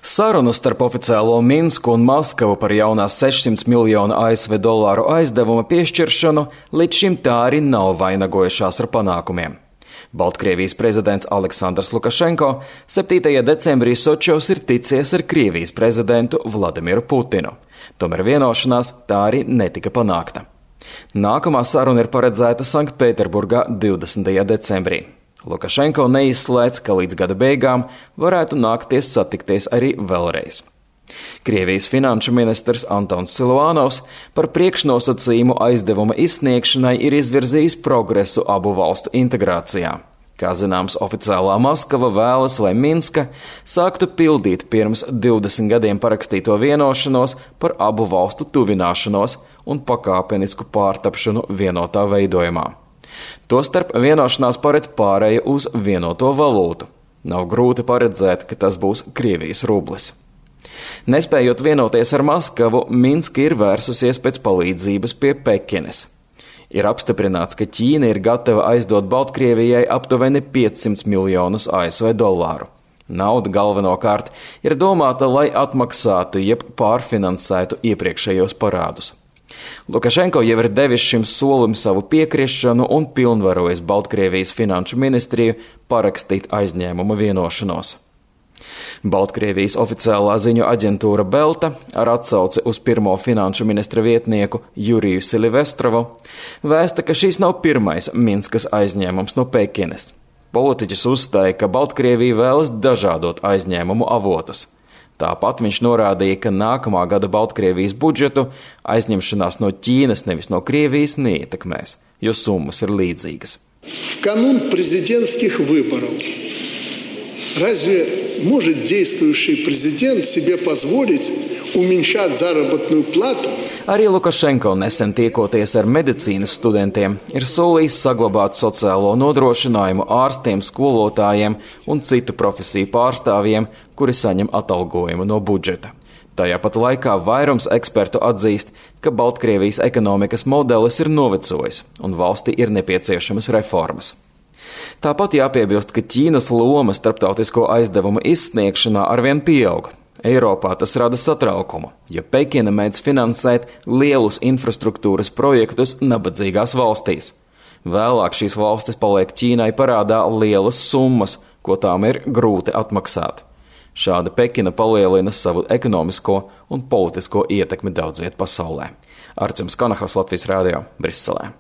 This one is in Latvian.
Sarunu starp oficiālo Minsku un Maskavu par jaunās 600 miljonu ASV dolāru aizdevuma piešķiršanu līdz šim tā arī nav vainagojušās ar panākumiem. Baltkrievijas prezidents Aleksandrs Lukašenko 7. decembrī Sočos ir ticies ar Krievijas prezidentu Vladimiru Putinu. Tomēr vienošanās tā arī netika panākta. Nākamā saruna ir paredzēta Sanktpēterburgā 20. decembrī. Lukašenko neizslēdz, ka līdz gada beigām varētu nākties satikties arī vēlreiz. Krievijas finanšu ministrs Antons Siluanovs par priekšnosacījumu aizdevuma izsniegšanai ir izvirzījis progresu abu valstu integrācijā. Kā zināms, oficiālā Maskava vēlas, lai Minska sāktu pildīt pirms 20 gadiem parakstīto vienošanos par abu valstu tuvināšanos un pakāpenisku pārtapšanu vienotā veidojumā. Tostarp vienošanās paredz pārēju uz vienoto valūtu. Nav grūti paredzēt, ka tas būs Krievijas rublis. Nespējot vienoties ar Maskavu, Minska ir vērsusies pēc palīdzības pie Pekinas. Ir apstiprināts, ka Ķīna ir gatava aizdot Baltkrievijai aptuveni 500 miljonus ASV dolāru. Nauda galvenokārt ir domāta, lai atmaksātu jeb pārfinansētu iepriekšējos parādus. Lukašenko jau ir devis šim solim savu piekrišanu un pilnvarojis Baltkrievijas finanšu ministriju parakstīt aizņēmuma vienošanos. Baltkrievijas oficiālā ziņu aģentūra Belta ar atsauci uz pirmo finanšu ministra vietnieku Juriju Silvestrovu vēsta, ka šis nav pirmais Minskas aizņēmums no Pekinas. Politiķis uzstāja, ka Baltkrievija vēlas dažādot aizņēmumu avotus. Tāpat viņš norādīja, ka nākamā gada Baltkrievijas budžetu aizņemšanās no Ķīnas, nevis no Krievijas, neietekmēs, jo summas ir līdzīgas. В канун президентских выборов разве может действующий президент себе позволить уменьшать заработную плату? Arī Lukašenko nesen tiekoties ar medicīnas studentiem ir solījis saglabāt sociālo nodrošinājumu ārstiem, skolotājiem un citu profesiju pārstāvjiem, kuri saņem atalgojumu no budžeta. Tajā pat laikā vairums ekspertu atzīst, ka Baltkrievijas ekonomikas modelis ir novecojis un valstī ir nepieciešamas reformas. Tāpat jāpiebilst, ka Ķīnas loma starptautisko aizdevumu izsniegšanā arvien pieaug. Eiropā tas rada satraukumu, jo Pekina mēdz finansēt lielus infrastruktūras projektus nabadzīgās valstīs. Vēlāk šīs valstis paliek Ķīnai parādā lielas summas, ko tām ir grūti atmaksāt. Šāda Pekina palielina savu ekonomisko un politisko ietekmi daudz viet pasaulē. Artjums Kanahos, Latvijas Rādio, Briselē.